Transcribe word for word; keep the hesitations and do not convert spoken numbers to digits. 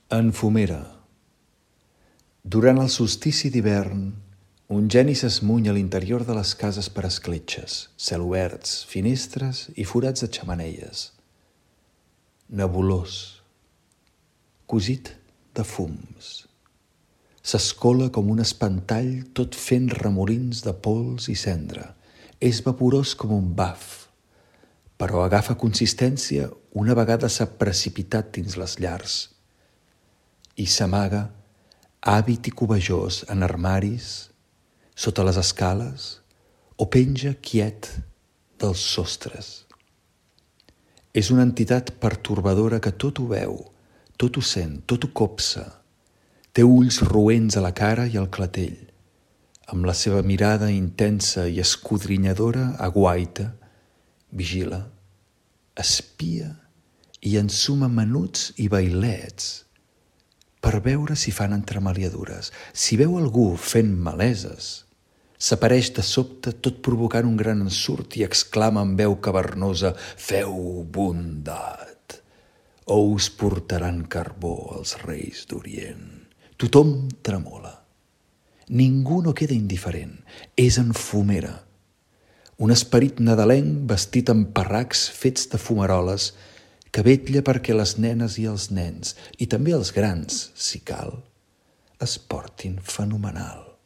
En fumera. Durant el solstici d'hivern, un geni s'esmuny a l'interior de les cases per escletxes, celoberts, finestres i forats de xemeneies. Nebulós, cosit de fums. S'escola com un espantall tot fent remolins de pols i cendra. És vaporós com un baf, però agafa consistència una vegada s'ha precipitat dins les llars i s'amaga, hàbit i cobejós, en armaris, sota les escales, o penja quiet dels sostres. És una entitat pertorbadora que tot ho veu, tot ho sent, tot ho copsa. Té ulls roents a la cara i al clatell. Amb la seva mirada intensa i escodrinyadora aguaita, vigila, espia i ensuma menuts i bailets per veure si fan entremaliadures. Si veu algú fent maleses, s'apareix de sobte tot provocant un gran ensurt i exclama amb veu cavernosa: «Feu bondat, o us portaran carbó els reis d'Orient». Tothom tremola. Ningú no queda indiferent. És en fumera. Un esperit nadalenc vestit amb parracs fets de fumaroles que vetlla perquè les nenes i els nens, i també els grans, si cal, es portin fenomenal.